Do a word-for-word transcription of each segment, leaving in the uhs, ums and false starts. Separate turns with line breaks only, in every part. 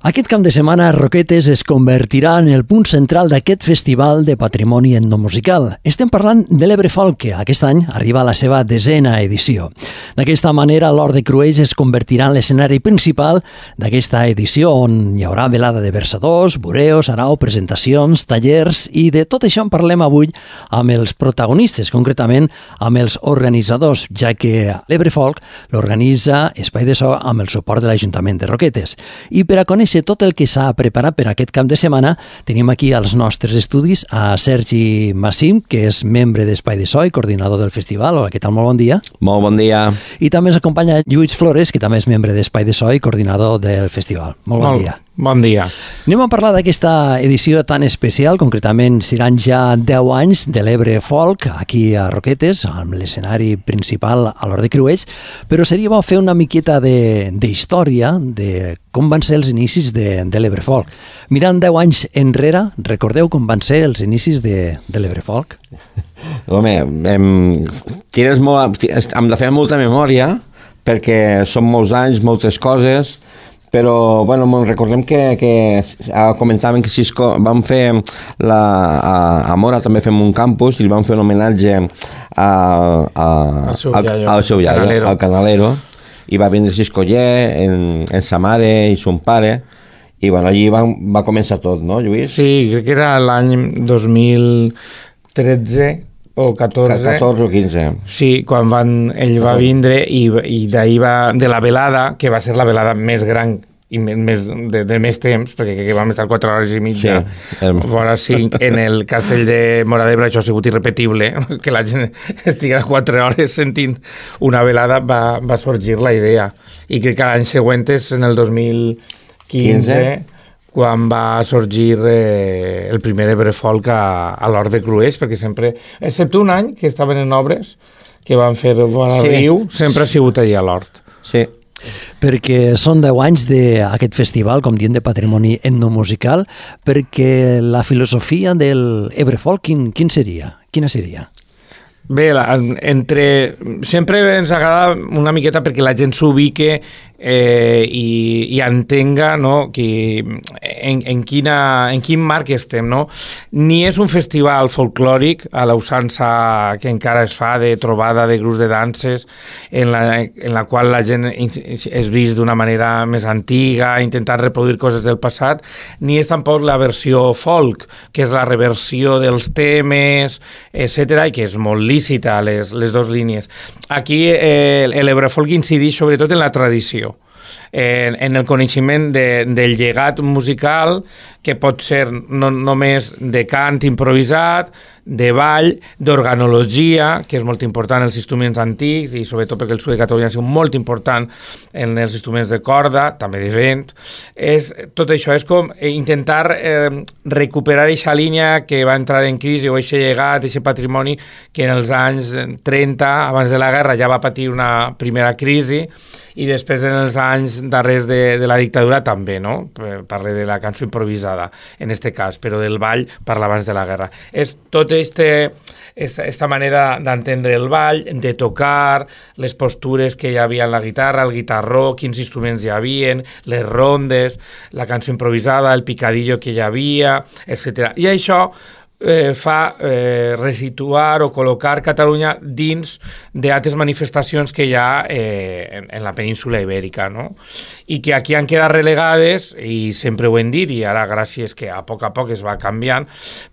Aquest cap de setmana, Roquetes es convertirà en el punt central d'aquest festival de patrimoni etnomusical. Estem parlant de l'Ebre Folk, que aquest any arriba a la seva desena edició. D'aquesta manera, l'Hort de Cruells es convertirà en l'escenari principal d'aquesta edició, on hi haurà velada de versadors, bureos, arau, presentacions, tallers, i de tot això en parlem avui amb els protagonistes, concretament amb els organitzadors, ja que l'Ebre Folk l'organitza Espai de So amb el suport de l'Ajuntament de Roquetes. I per a conèixer tot el que s'ha preparat per aquest cap de setmana, tenim aquí als nostres estudis a Sergi Massim, que és membre d'Espai de So i coordinador del festival. Hola, què tal? Molt bon dia.
Molt bon dia.
I també ens acompanya Lluís Flores, que també és membre d'Espai de So i coordinador del festival. Molt bon
Molt
dia.
Bon dia.
Anem a parlar d'aquesta edició tan especial, concretament seran ja deu anys de l'Ebre Folk aquí a Roquetes, amb l'escenari principal a l'Hort de Cruells, però seria bo fer una miqueta d'història de, de com van ser els inicis de, de l'Ebre Folk. Mirant deu anys enrere, recordeu com van ser els inicis de, de l'Ebre Folk?
Home, hem, tires molt, hem de fer molta memòria, perquè són molts anys, moltes coses, però bueno, recordem que, que comentaven que Cisco vam fer la, a, a Mora també fem un campus i li vam fer un homenatge a, a,
al seu
al,
iaio,
al seu iaio,
Canalero.
al Canalero, i va vindre Cisco Ller en, en sa mare i son pare, i bueno, allí va, va començar tot, no, Lluís?
Sí, crec que era l'any dos mil tretze o catorze.
catorze o quinze.
Sí, quan van, ell va vindre i, i d'ahir va, de la velada, que va ser la velada més gran i més, de, de més temps, perquè crec que vam estar quatre hores i mitja,
sí, el...
fora cinc, en el castell de Móra d'Ebre. Això ha sigut irrepetible, que la gent estigui quatre hores sentint una velada, va, va sorgir la idea. I crec que l'any següent és en el dos mil quinze, quan va sorgir eh, el primer Ebre Folk a, a l'Hort de Cruells, perquè sempre, excepte un any que estaven en obres, que van fer el Vora
sí.
Riu, sempre ha sigut allà a l'Hort.
Sí.
Perquè són deu anys d'aquest festival, com dient, de patrimoni etnomusical, perquè la filosofia del Ebre Folk, quin, quin seria? Quina seria?
Bé, la, entre... sempre ens agrada una miqueta perquè la gent s'ubique eh, i, i entenga, no, que en, en, quina, en quin marc estem, no? Ni és un festival folclòric a la usança que encara es fa de trobada de grups de danses en la, en la qual la gent és vist d'una manera més antiga, intentant reproduir coses del passat, ni és tampoc la versió folk, que és la reversió dels temes, etcètera, i que és molt lícita, les, les dues línies. Aquí eh, l'Ebre Folk incideix sobretot en la tradició, en, en el coneixement de, del llegat musical, que pot ser no només de cant improvisat, de ball, d'organologia, que és molt important en els instruments antics, i sobretot perquè el sud de Catalunya ha sigut molt important en els instruments de corda, també de vent. És, tot això és com intentar eh, recuperar aquesta línia que va entrar en crisi, o aquest llegat, aquest patrimoni que en els anys trenta, abans de la guerra, ja va patir una primera crisi, i després en els anys darrers de, de la dictadura també, no? Parle de la cançó improvisada, en este cas, però del ball parla abans de la guerra. És tot este, esta, esta manera d'entendre el ball, de tocar, les postures que hi havia en la guitarra, el guitarró, quins instruments hi havia, les rondes, la cançó improvisada, el picadillo que hi havia, etcètera. I això Eh, fa eh, resituar o col·locar Catalunya dins d'altres manifestacions que hi ha eh, en, en la península ibèrica, no? I que aquí han quedat relegades, i sempre ho hem dit, i ara gràcies que a poc a poc es va canviant,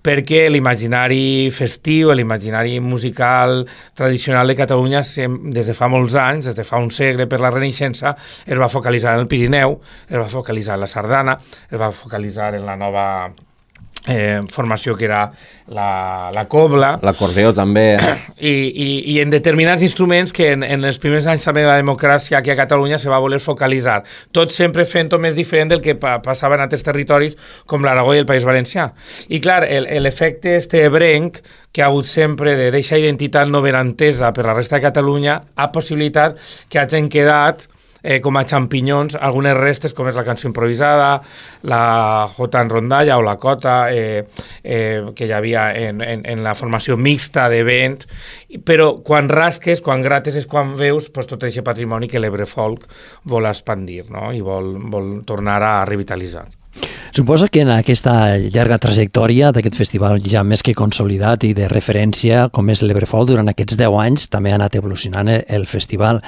perquè l'imaginari festiu, l'imaginari musical tradicional de Catalunya des de fa molts anys, des de fa un segle per la Renaixença, es va focalitzar en el Pirineu, es va focalitzar en la sardana, es va focalitzar en la nova Eh, formació que era la, la cobla,
l'acordeó també,
i, i, i en determinats instruments que en, en els primers anys també de la democràcia aquí a Catalunya se va voler focalitzar, tot sempre fent-ho més diferent del que pa, passava en altres territoris com l'Aragó i el País Valencià. I clar, l'efecte este ebrenc que ha hagut sempre de deixar identitat no ben entesa per la resta de Catalunya ha possibilitat que hagin quedat eh, com a xampinyons algunes restes, com és la cançó improvisada, la jota en rondalla o la cota, eh, eh, que hi havia en, en, en la formació mixta de vents, però quan rasques, quan grates, és quan veus pues, tot aquest patrimoni que l'Ebre Folk vol expandir, no? I vol, vol tornar a revitalitzar.
Suposa que en aquesta llarga trajectòria d'aquest festival ja més que consolidat i de referència, com és l'Ebre Folk, durant aquests deu anys també ha anat evolucionant el festival.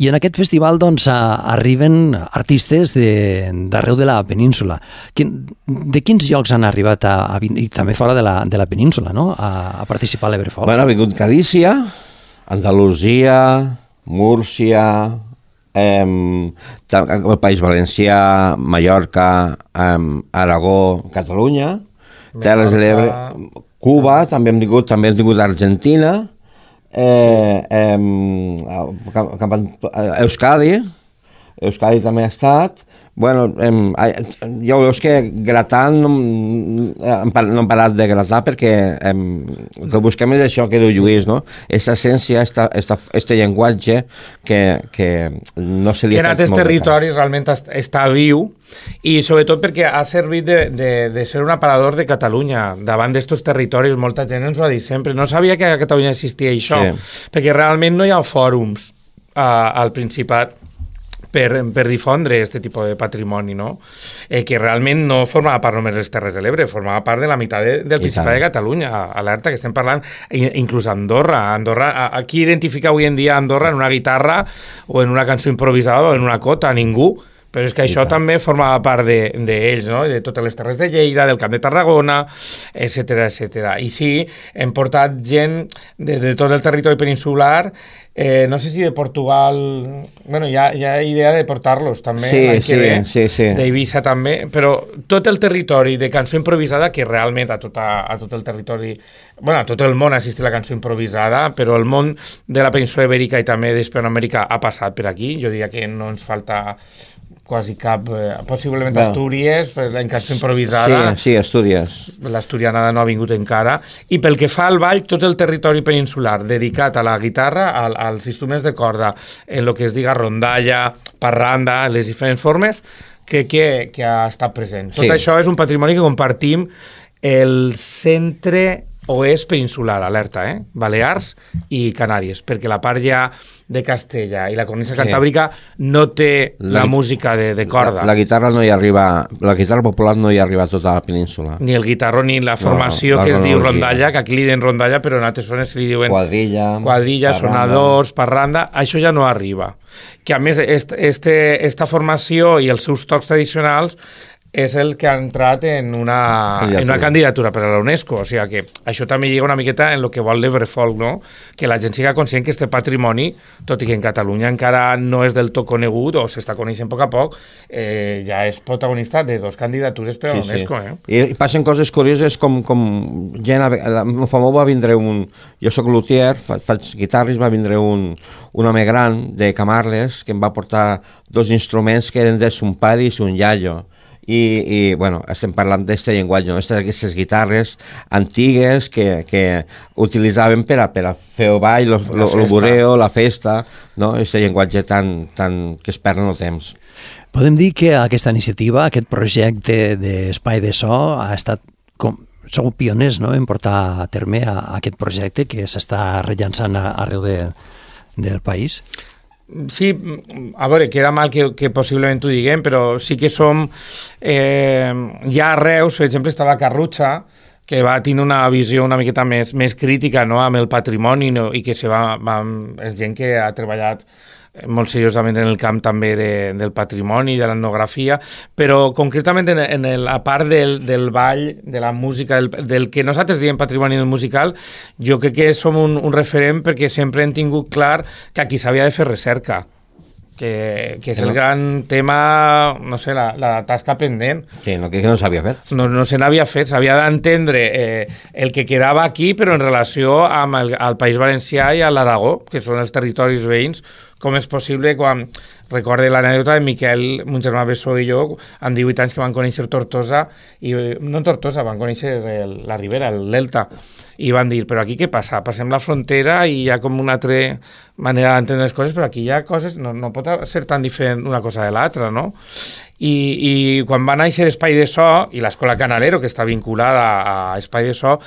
I en aquest festival doncs, arriben artistes d'arreu de, de la península. De quins llocs han arribat, a, a, i també fora de la, de la península, no? a, a participar a l'Ebre Folk?
Bueno, ha vingut Galícia, Andalusia, Múrcia, Eh, el País Valencià, Mallorca, eh, Aragó, Catalunya, Terres de l'Ebre, Cuba, també hem tingut, també hem tingut Argentina, eh, eh, Euskadi, Euskadi també ha estat. Bueno, em, ja veus que gratant no, no hem parat de gratar perquè em, el que busquem és això que diu Lluís, no? Aquesta essència, aquest llenguatge que, que no se li ha fet molt de cas.
En altres territoris realment està viu i sobretot perquè ha servit de, de, de ser un aparador de Catalunya davant d'estos territoris. Molta gent ens ho ha dit sempre. No sabia que a Catalunya existia això, sí. Perquè realment no hi ha fòrums uh, al Principat Per, per difondre aquest tipus de patrimoni, no? Eh, que realment no formava part només de les Terres de l'Ebre, formava part de la meitat de, del Principat de Catalunya, alerta, que estem parlant, inclús Andorra. Andorra. Qui identifica avui en dia Andorra en una guitarra o en una cançó improvisada o en una cota? Ningú. Però és que això també formava part d'ells, de, de no? De totes les terres de Lleida, del Camp de Tarragona, etcètera, etcètera. I sí, hem portat gent de, de tot el territori peninsular, eh, no sé si de Portugal... Bueno, hi ha, hi ha idea de portar-los també,
sí,
l'any que
sí,
ve,
sí, sí.
d'Eivissa també, però tot el territori de cançó improvisada, que realment a, tota, a tot el territori... Bueno, a tot el món assiste la cançó improvisada, però el món de la península Ibèrica i també d'Hispanoamèrica ha passat per aquí. Jo diria que no ens falta quasi cap, eh, possiblement bueno. Astúries, en cançó improvisada.
Sí, sí, Astúries.
L'asturianada no ha vingut encara. I pel que fa al ball, tot el territori peninsular dedicat a la guitarra, al, als instruments de corda, en el que es diga rondalla, parranda, les diferents formes, crec que, que ha estat present. Tot sí. Això és un patrimoni que compartim el centre oest peninsular, alerta, eh? Balears i Canàries, perquè la part ja de Castella i la cornisa cantàbrica sí. No té la, la música de, de corda.
La, la guitarra no hi arriba, la guitarra popular no hi arriba a tota la península.
Ni el guitarro ni la formació no, la que es diu rondalla, que aquí li diuen rondalla, però en altres zones li diuen
quadrilla,
quadrilla sonadors, parranda, això ja no arriba. Que a més, est, este, esta formació i els seus tocs tradicionals és el que ha entrat en una, en una candidatura per a la UNESCO. O sigui que això també lliga una miqueta en el que vol l'Ebre Folk, no? Que la gent siga conscient que este patrimoni, tot i que en Catalunya encara no és del tot conegut o s'està coneixent a poc a poc, eh, ja és protagonista de dos candidatures per a la sí, UNESCO. Sí. Eh?
I passen coses curioses com, com gent... A fa molt va vindre un... Jo soc luthier, fa, faig guitarres, va vindre un, un home gran de Camarles que em va portar dos instruments que eren de son pare i son iaio. I, i bueno, estem parlant d'aquest llenguatge, no? Aquestes guitarres antigues que, que utilitzaven per a, per a fer el ball, el bureo, la festa, no? Aquest llenguatge tan, tan, que es perd en el temps.
Podem dir que aquesta iniciativa, aquest projecte d'Espai de So, ha estat com... Sou pioners, no?, en portar a terme a, a aquest projecte que s'està rellançant arreu de, del país.
Sí, a veure, queda mal que, que possiblement ho diguem, però sí que som... Eh, hi ha a Reus, per exemple, està la Carrutxa, que va tenir una visió una miqueta més, més crítica, no?, amb el patrimoni, no?, i que se va, va, és gent que ha treballat molt seriosament en el camp també de, del patrimoni, de l'etnografia, però concretament en, en el, a part del, del ball, de la música, del, del que nosaltres diem patrimoni musical, jo crec que som un, un referent perquè sempre hem tingut clar que aquí s'havia de fer recerca, que, que és el gran tema, no sé, la, la tasca pendent.
Sí, no, que no s'havia fet.
No, no se n'havia fet, s'havia d'entendre eh, el que quedava aquí, però en relació amb el, el País Valencià i a l'Aragó, que són els territoris veïns, com és possible quan Recorde l'anècdota de Miquel, mon germà Bessó i jo, amb divuit anys que van conèixer Tortosa, i no Tortosa, van conèixer el, la Ribera, el Delta, i van dir, però aquí què passa? Passem la frontera i hi ha com una altra manera d'entendre les coses, però aquí hi ha coses, no, no pot ser tan diferent una cosa de l'altra, no? I, i quan va néixer Espai de So i l'Escola Canalero, que està vinculada a Espai de So,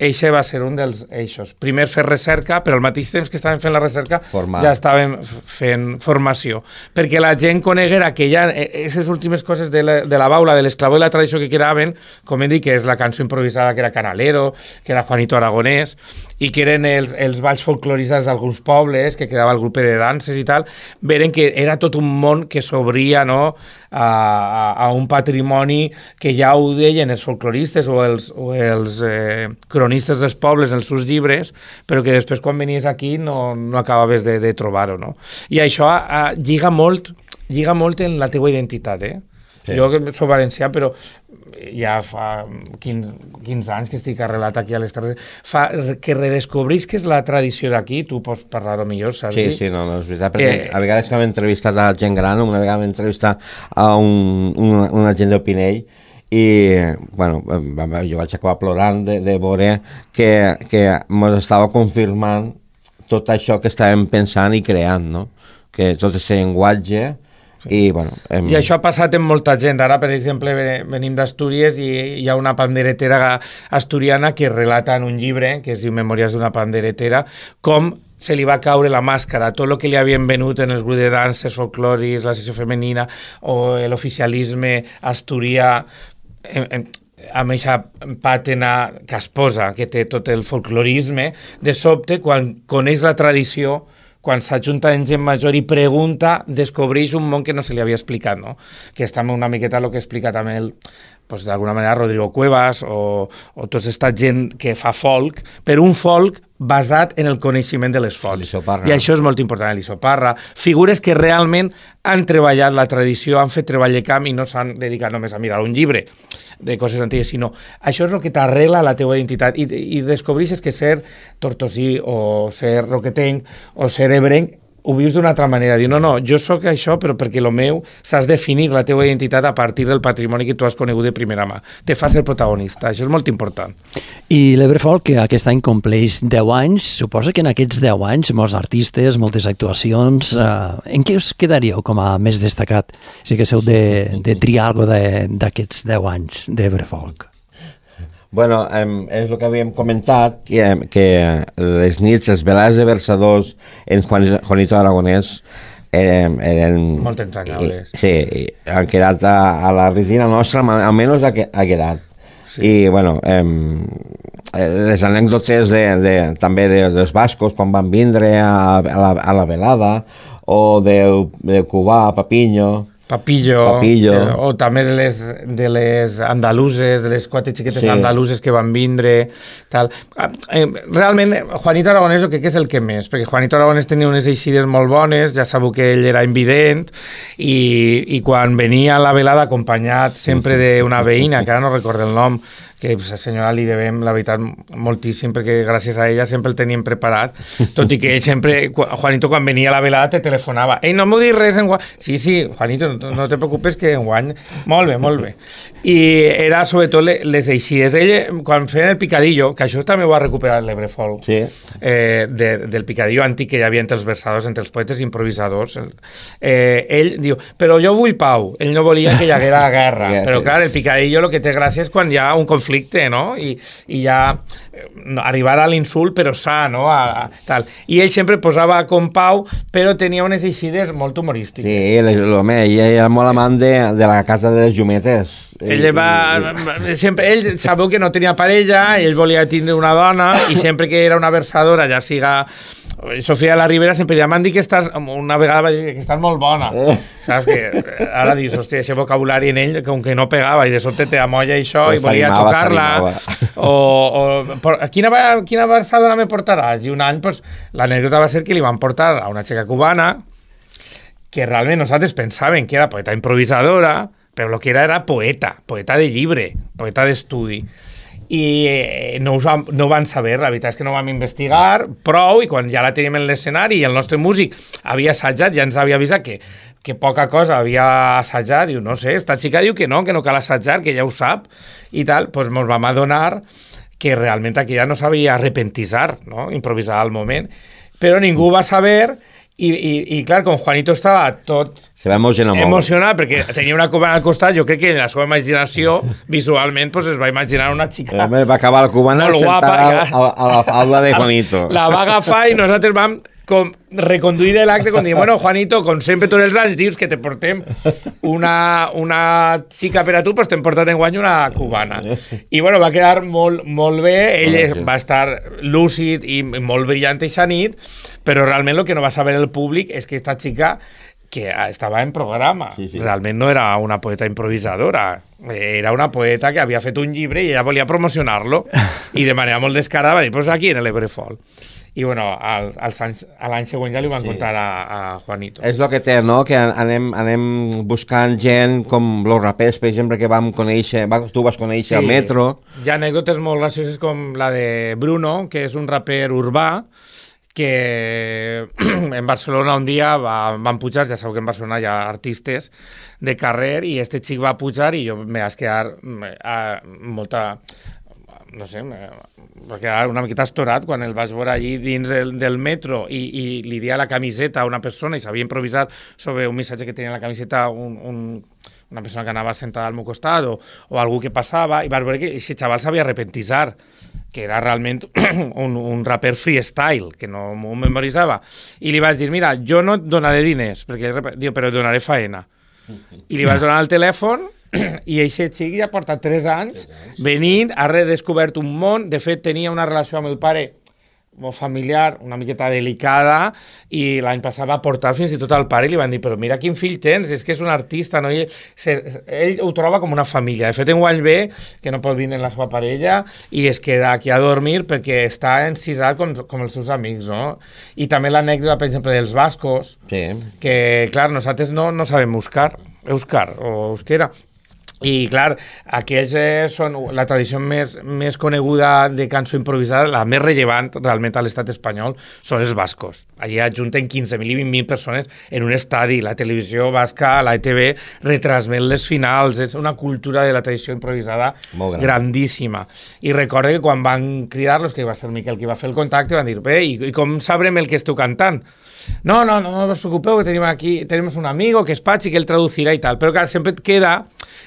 eixe va ser un dels eixos. Primer fer recerca, però al mateix temps que estàvem fent la recerca Formar. ja estàvem fent formació. Perquè la gent coneguera que ja aquestes últimes coses de la, de la baula, de l'esclavó i la tradició que quedaven, com hem dit, que és la cançó improvisada que era Canalero, que era Juanito Aragonès, i que eren els, els balls folcloritzats d'alguns pobles, que quedava el grup de danses i tal, veren que era tot un món que s'obria, no?, A, a, a un patrimoni que ja ho deien els folcloristes o els, o els eh, cronistes dels pobles en els seus llibres, però que després quan venies aquí no, no acabaves de, de trobar-ho, no? I això a, lliga molt lliga molt en la teua identitat, eh? Sí. Jo que soc valencià, però ja fa quinze anys que estic arrelat aquí a les Terres, fa que redescobrís que és la tradició d'aquí, tu pots parlar-ho millor, saps?
Sí, sí, no, no és veritat, perquè eh, a vegades que hem entrevistat a gent gran, una vegada hem entrevistat a un, un, una gent del Pinell, i bueno, jo vaig acabar plorant de, de veure que, que ens estava confirmant tot això que estàvem pensant i creant, no? Que tot aquest llenguatge. I, bueno, hem...
I això ha passat en molta gent. Ara, per exemple, venim d'Astúries i hi ha una panderetera asturiana que relata en un llibre, que es diu Memòries d'una panderetera, com se li va caure la màscara, tot el que li havien venut en els grups de danses, folcloris, la sessió femenina o l'oficialisme asturià, en, en, amb aquesta pàtina casposa que té tot el folclorisme, de sobte, quan coneix la tradició, quan s'ajunta en gent major i pregunta, descobreix un món que no se li havia explicat, no? Que està una miqueta el que explica també el, pues, d'alguna manera Rodrigo Cuevas o, o tota aquesta gent que fa folk, però un folk basat en el coneixement de les fonts. I això és molt important, l'Isoparra. Figures que realment han treballat la tradició, han fet treball de camp i no s'han dedicat només a mirar un llibre de coses antigues, sinó això és el que t'arrela la teua identitat i, i descobreixes que ser tortosí o ser roquetenc o ser ebrenc ho vius d'una altra manera. Diu, no, no, jo sóc això, però perquè el meu s'has definit la teua identitat a partir del patrimoni que tu has conegut de primera mà. Te fas el protagonista, això és molt important.
I l'Ebrefolk, que aquest any compleix deu anys, suposa que en aquests deu anys molts artistes, moltes actuacions, eh, en què us quedaríeu com a més destacat? Si haguéssiu de, de triar alguna d'aquests deu anys d'Ebrefolk.
Bueno, eh, és el que havíem comentat, que, que les nits, les velades de versadors en Juan, Juanito Aragonès eren... eren
molt entranyables.
Sí, han quedat a, a la retina nostra, almenys ha, ha quedat. Sí. I, bueno, eh, les anècdotes de, de, també de, dels bascos, quan van vindre a, a, la, a la velada, o de, de Cubà, Papinyo...
Papillo,
Papillo.
Eh, o també de les, de les andaluses, de les quatre xiquetes sí. andaluses que van vindre, tal. Eh, realment, Juanito Aragonès jo crec que és el que més, perquè Juanito Aragonès tenia unes eixides molt bones, ja sabeu que ell era invident, i, i quan venia a la velada acompanyat sempre d'una veïna, que ara no recordo el nom, que a la senyora li devem, la veritat, moltíssim, perquè gràcies a ella sempre el teníem preparat, tot i que ell sempre, Juanito, quan venia a la velada, te telefonava. Ei, no m'ho dius res enguany. Sí, sí, Juanito, no, no te preocupes que enguany... Molt bé, molt bé. I era, sobretot, les eixides. Ell, quan feien el picadillo, que això també ho ha recuperat l'Ebrefolk, sí. eh, de, del picadillo antic que hi havia entre els versadors, entre els poetes improvisadors, eh, ell diu, però jo vull pau. Ell no volia que hi haguera guerra. Yeah, però, sí. clar, el picadillo el que té gràcia és quan hi ha un conflicte, no? I, i ja no, arribar a l'insult però sa, no? A, a, tal. I ell sempre posava com pau, però tenia unes eixides molt humorístiques.
Sí, l'home, ell era molt amant de, de la casa de les llumetes.
Ell va, sempre, ell sabeu que no tenia parella, ell volia tindre una dona i sempre que era una versadora, ja siga Sofia de la Ribera, sempre deia, m'han dit que estàs, una vegada va dir que estàs molt bona. Eh. Saps que ara dius, hòstia, aquest vocabulari en ell, com que no pegava, i de sobte te amolla això, pues i volia tocar-la. O, o por, quina, quina versadora me portaràs? I un any, pues, l'anècdota va ser que li van portar a una xica cubana, que realment nosaltres pensaven que era poeta improvisadora, però el que era era poeta, poeta de llibre, poeta d'estudi. I eh, no, us vam, no van saber, la veritat és que no vam investigar prou, i quan ja la teníem en l'escenari i el nostre músic havia assajat, ja ens havia avisat que que poca cosa havia assajat, diu, no sé, esta xica diu que no, que no cal assajar, que ja ho sap, i tal, doncs ens vam adonar que realment aquí ja no sabia repentisar, no? Improvisar al moment, però ningú va saber, i, i, i clar, com Juanito estava tot
se va emocionar molt.
Emocionat, perquè tenia una cubana al costat, jo crec que en la seva imaginació, visualment, pues, es va imaginar una xica
eh, va acabar la cubana sentada a, a la falda de Juanito.
La va agafar i nosaltres vam com reconduir l'acte com dient, bueno, Juanito, com sempre tots els anys dius que te portem una, una xica per a tu, doncs t'hem portat en guany una cubana. I bueno, va quedar molt, molt bé, ell oh, sí. va estar lúcid i molt brillant aquesta nit, però realment el que no va saber el públic és que aquesta xica que estava en programa, sí, sí. realment no era una poeta improvisadora, era una poeta que havia fet un llibre i ella volia promocionar-lo i de manera molt descarada va dir, pues aquí en l'Ebrefol. I bueno, al, als anys, a l'any següent ja li van sí. contar a, a Juanito.
És el que té, no?, que anem, anem buscant gent com els rapers, per exemple, que vam conèixer, va, tu vas conèixer sí. al metro.
Hi ha anècdotes molt gracioses com la de Bruno, que és un raper urbà, que en Barcelona un dia va, van pujar, ja sabeu que en Barcelona hi ha artistes de carrer, i este xic va pujar i jo me vaig quedar a, molta... no sé, va quedar una miqueta estorat quan el vaig veure allí dins del, del metro i, i li dia la camiseta a una persona i sabia improvisar sobre un missatge que tenia a la camiseta un, un, una persona que anava sentada al meu costat o, o algú que passava, i vas veure que aquest xaval sabia repentisar, que era realment un, un raper freestyle, que no m'ho memoritzava. I li vaig dir, mira, jo no et donaré diners, perquè diu, però et donaré faena. I li vaig donar el telèfon i aquest xic ja porta tres anys venint, ha redescobert un món. De fet, tenia una relació amb el pare molt familiar, una miqueta delicada, i l'any passat va portar fins i tot al pare i li van dir, però mira quin fill tens, és que és un artista, no? I ell, se, ell ho troba com una família. De fet, enguany ve, que no pot vindre la seva parella, i es queda aquí a dormir perquè està encisat com, com els seus amics, no? I també l'anècdota, per exemple, dels bascos, sí. que, clar, nosaltres no, no sabem euskar, euskar o euskera. I, clar, aquells eh, són la tradició més, més coneguda de cançó improvisada, la més rellevant realment a l'estat espanyol, són els bascos. Allí ajunten quinze mil i vint mil persones en un estadi. La televisió basca, la E T V, retransmet les finals. És una cultura de la tradició improvisada gran. grandíssima. I recordo que quan van cridar-los, que va ser Miquel qui va fer el contacte, van dir, bé, i, i com sabrem el que esteu cantant? No, no, no, no us preocupeu, que tenim aquí, tenemos un amigo que és Patxi, que él traducirà i tal. Però, clar, sempre et queda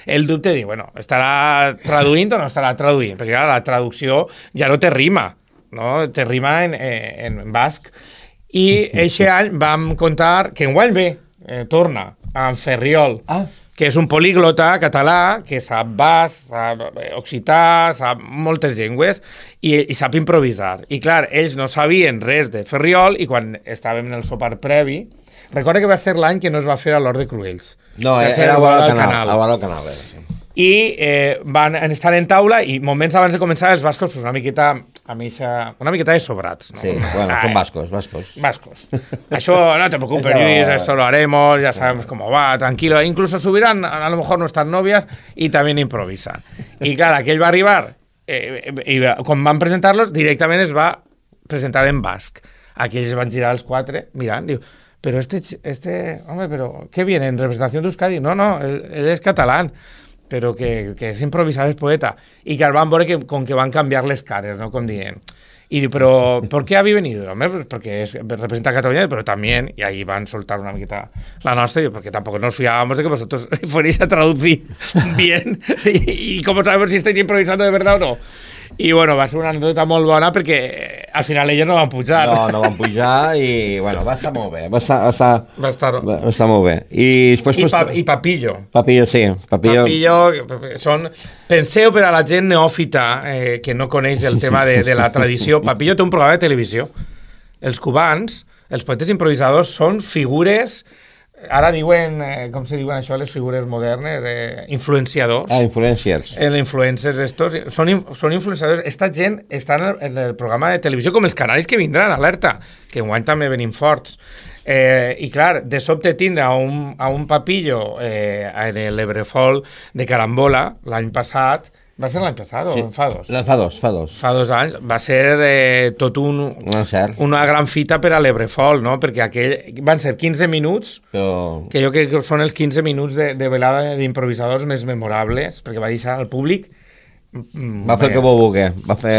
el dubte de dir, bueno, estarà traduint o no estarà traduint? Perquè, clar, la traducció ja no té rima, no? Té rima en, en, en basc. I eixe any vam contar que enguany ve, eh, torna, en Ferriol, ah. que és un políglota català que sap basc, sap occità, sap moltes llengües i, i sap improvisar. I clar, ells no sabien res de Ferriol i quan estàvem en el sopar previ, recorda que va ser l'any que no es va fer a l'Hort de Cruells.
No, era, era a vora del canal. A vora del canal, era, sí.
I eh, van estar en taula i moments abans de començar els bascos pues una miqueta a mixa, una miqueta de sobrats, ¿no?
Sí, bueno, ah, son vascos, vascos.
Vascos. Això, no te preocupes, Luis, esto lo haremos, ya sabemos cómo va, tranquilo. Incluso subirán a lo mejor nuestras novias y también improvisan. Y claro, aquell va arribar, eh, i quan van presentar-los, directament es va presentar en basc. Aquí ells van girar els quatre, mirant, diu, pero este, este, hombre, pero ¿qué viene? ¿En representación de Euskadi? No, no, él, él es catalán. Però que, que és improvisar, és poeta. I que van veure que, com que van canviar les cares, ¿no? Com dient. Y diu, però ¿por qué habéis venido? Hombre, pues porque es, representa a Cataluña, pero también, y ahí van a soltar una miqueta la nostra, y porque tampoco nos fiábamos de que vosotros fuerais a traducir bien, y, y cómo sabemos si estáis improvisando de verdad o no. I, bueno, va ser una anècdota molt bona perquè al final ells no van pujar.
No, no van pujar i, bueno, va estar molt bé. Va estar, va estar,
va estar...
Va estar molt bé. I, després,
I, pa, i Papillo.
Papillo, sí. Papillo...
Papillo són... Penseu per a la gent neòfita eh, que no coneix el tema de, de la tradició. Papillo té un programa de televisió. Els cubans, els poetes improvisadors, són figures... Ara diuen, eh, com se diuen això, les figures modernes, eh, influenciadors.
Ah, influencers.
Els influencers estos, són, són influenciadors. Esta gent està en el, en el programa de televisió com els canaris que vindran, alerta, que enguany també venim forts. Eh, I clar, de sobte tindre a un, a un Papillo eh, en l'Ebrefol de Carambola l'any passat, Va ser l'any passat
Sí.
o fa dos?
Fa dos, fa dos.
Fa dos anys. Va ser eh, tot un,
No és cert,
una gran fita per a l'Ebrefol, no? Perquè aquell, van ser quinze minuts,
però...
que jo crec que són els quinze minuts de, de velada d'improvisadors més memorables, perquè va deixar al públic... mm,
Va fer el que vau voler. Va fer...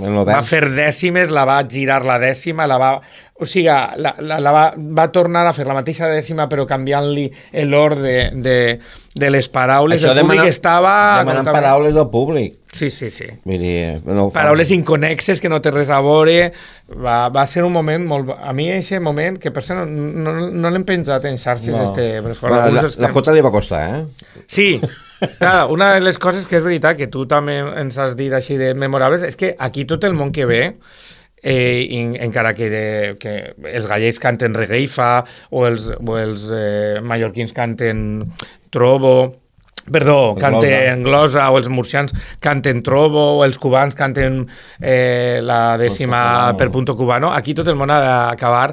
En
Va fer dècimes, la va girar la dècima, la va... O sigui, la, la, la va, va tornar a fer la mateixa dècima, però canviant-li l'ordre de, de les paraules.
Això
el públic
demanant,
estava...
demanant
completament-
paraules del públic.
Sí, sí, sí.
Vull dir, no ho fa.
Paraules inconexes que no té res a veure. Va, va ser un moment molt... A mi, aquest moment, que per cert no, no, no l'hem penjat en xarxes,
No.
este...
Bueno, la, la Jota li va costar, eh?
Sí, clar, una de les coses que és veritat, que tu també ens has dit així de memorables, és que aquí tot el món que ve, eh, in, encara que, de, que els gallecs canten regueifa o els, o els eh, mallorquins canten trobo, perdó, canten glosa, o els murcians canten trobo, o els cubans canten eh, la dècima
cubano.
per punto cubano, aquí tot el món ha d'acabar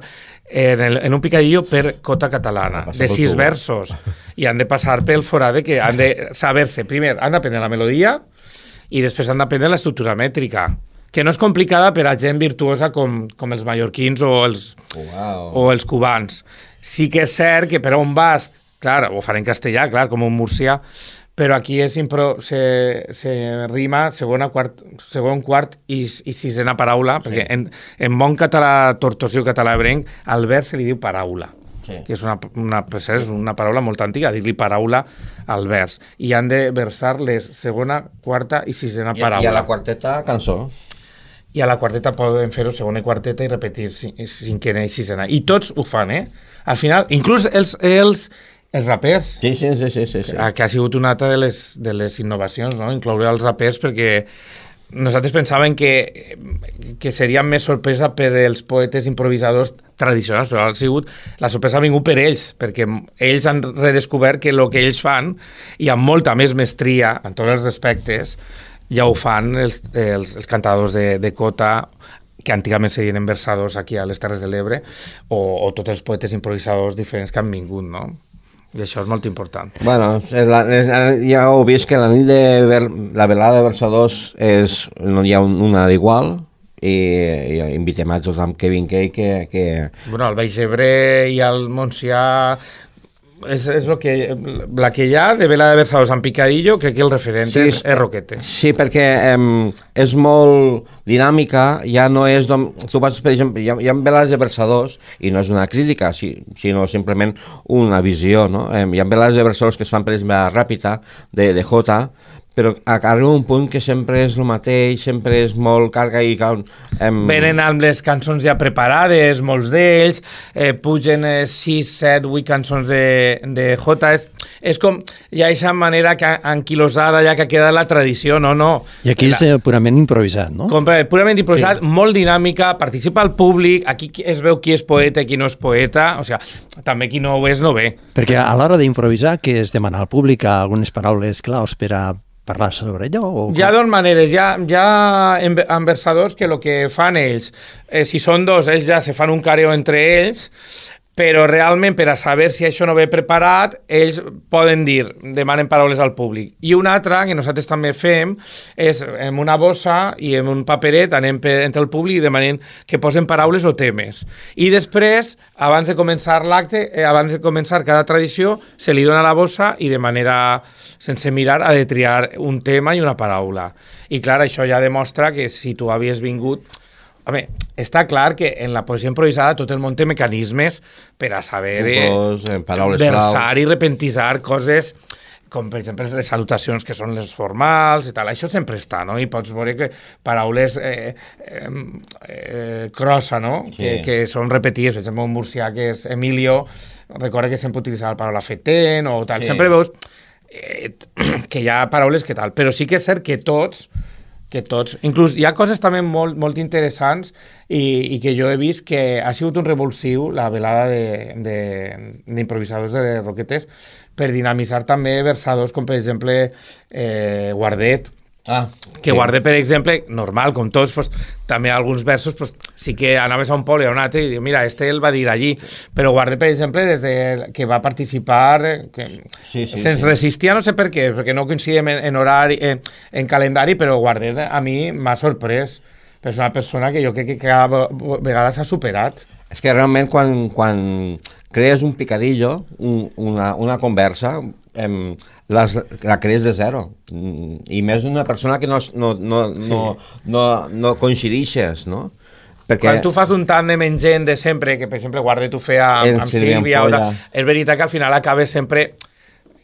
en, el, en un picadillo per cota catalana,
Ha de passar
de
pel
sis
tubo.
versos, i han de passar pel forade que han de saber-se, primer, han d'aprendre la melodia i després han d'aprendre l'estructura mètrica, que no és complicada per a gent virtuosa com, com els mallorquins o els,
Uau.
o els cubans. Sí que és cert que per on vas, clar, ho faré en castellà, clar, com un murcià, però aquí és impro, se, se rima segona, quart, segon, quart i, i sisena paraula, sí. Perquè en, en bon català tortosiu, català ebrenc, al vers se li diu paraula. Sí. Que és una, una, és una paraula molt antiga, dir-li paraula al vers. I han de versar les segona, quarta i sisena
I,
paraula.
I a la quarteta, cançó.
I a la quarteta poden fer-ho segona i quarteta i repetir cinquena i sisena. I tots ho fan, eh? Al final, inclús els, els, els rapers,
Sí, sí, sí, sí, sí, sí.
que ha sigut una altra de les, de les innovacions, no? Incloure els rapers, perquè nosaltres pensàvem que, que seria més sorpresa per als poetes improvisadors tradicionals, però ha sigut, la sorpresa ha vingut per ells, perquè ells han redescobert que el que ells fan, i amb molta més mestria, en tots els respectes, ja ho fan els, els, els cantadors de, de cota, que antigament se deien versadors aquí a les Terres de l'Ebre, o, o tots els poetes improvisadors diferents que han vingut, no? I això és molt important.
Bueno, és la, és, ja heu vist que la nit de ver, la velada de versadors és, no hi ha un, una d'igual, i, i invitem a tothom que vingui que, que...
Bueno, el Baix Ebre i el Montsià és, és lo que, la que hi ha de vela de versadors en picadillo, crec que el referent
Sí,
és, és Roquetes.
Sí, perquè eh, és molt dinàmica, ja no és... Dom... Tu vas, per exemple, hi ha, hi ha velades de versadors, i no és una crítica, si, sinó simplement una visió, no? Eh, hi ha velades de versadors que es fan, per exemple, a Ràpita, de, de Jota, però arriba un punt que sempre és el mateix, sempre és molt carga i... Em...
Venen amb les cançons ja preparades, molts d'ells, eh, pugen eh, sis, set, vuit cançons de, de Jota, és, és com, hi ha aquesta manera que, anquilosada ja que ha quedat la tradició, no, no.
I aquí és eh, purament improvisat, no?
Com, purament improvisat, sí. Molt dinàmica, participa el públic, aquí es veu qui és poeta i qui no és poeta, o sigui, també qui no ho és no ve.
Perquè a l'hora d'improvisar, que es demana al públic algunes paraules claus per a parlar sobre allò? O...
Hi ha dues maneres, hi ha, hi ha enversadors que el que fan ells, eh, si són dos, ells ja se fan un careo entre ells, però realment per a saber si això no ve preparat, ells poden dir, demanen paraules al públic. I una altra, que nosaltres també fem, és en una bossa i en un paperet anem per, entre el públic i demanem que posen paraules o temes. I després, abans de començar l'acte, eh, abans de començar cada tradició, se li dona la bossa i de manera sense mirar ha de triar un tema i una paraula. I clar, això ja demostra que si tu havies vingut... Home, està clar que en la poesia improvisada tot el món té mecanismes per a saber
Tipos, eh, paraules
versar
clau.
i repentisar coses com per exemple les salutacions que són les formals i tal, això sempre està, no? I pots veure que paraules eh, eh, eh, crossa, no?
Sí.
Que, que són repetides, per exemple un murcià que és Emilio, recorda que sempre utilitzava la paraula feten o tal,
Sí.
sempre veus eh, que hi ha paraules que tal, però sí que és cert que tots que tots, inclús hi ha coses també molt, molt interessants i, i que jo he vist que ha sigut un revulsiu la velada d'improvisadors de, de, de Roquetes per dinamitzar també versadors com per exemple eh, Guardet,
Ah,
que
sí.
Guarde, per exemple, normal, com tots, pues, també alguns versos pues, sí que anaves a un poble o a un altre i diu, mira, este el va dir allí, però Guarde, per exemple, des de que va participar, que
Sí, sí,
se'ns
sí.
resistia, no sé per què, perquè no coincidíem en, en horari, en, en calendari, però Guarde a mi m'ha sorprès. És una persona que jo crec que cada vegada s'ha superat.
És que realment quan, quan crees un picadillo, un, una, una conversa, em, les, la crees de zero. I més una persona que no, no, no,
Sí.
no, no, no coincidixes, no? Perquè
Quan tu fas un tàndem en gent de sempre, que per exemple Guarde tu feia amb,
El
amb
Sílvia
Sílvia, o
Ampolla.
tal, és veritat que al final acabes sempre,